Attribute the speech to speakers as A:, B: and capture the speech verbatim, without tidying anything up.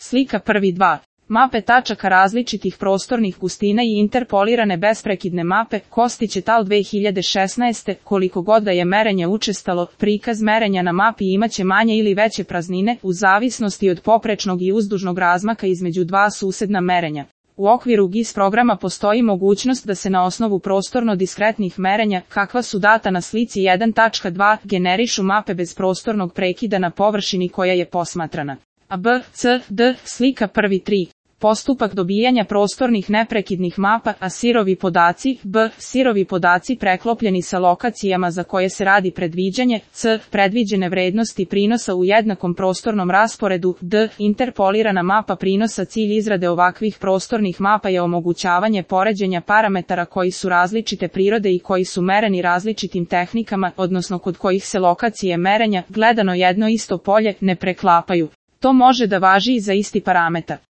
A: Slika prvi dva. Mape tačaka različitih prostornih gustina i interpolirane besprekidne mape, Kostić et al. dve hiljade šesnaeste. Koliko god da je merenje učestalo, prikaz merenja na mapi imaće manje ili veće praznine, u zavisnosti od poprečnog i uzdužnog razmaka između dva susedna merenja. U okviru G I S programa postoji mogućnost da se na osnovu prostorno diskretnih merenja, kakva su data na slici jedan tačka dva, generišu mape bez prostornog prekida na površini koja je posmatrana. A B, C, D, slika prvi tri. Postupak dobijanja prostornih neprekidnih mapa, a sirovi podaci, B, sirovi podaci preklopljeni sa lokacijama za koje se radi predviđanje, C, predviđene vrednosti prinosa u jednakom prostornom rasporedu, D, interpolirana mapa prinosa. Cilj izrade ovakvih prostornih mapa je omogućavanje poređenja parametara koji su različite prirode i koji su mereni različitim tehnikama, odnosno kod kojih se lokacije merenja, gledano jedno isto polje, ne preklapaju. To može da važi i za isti parametar.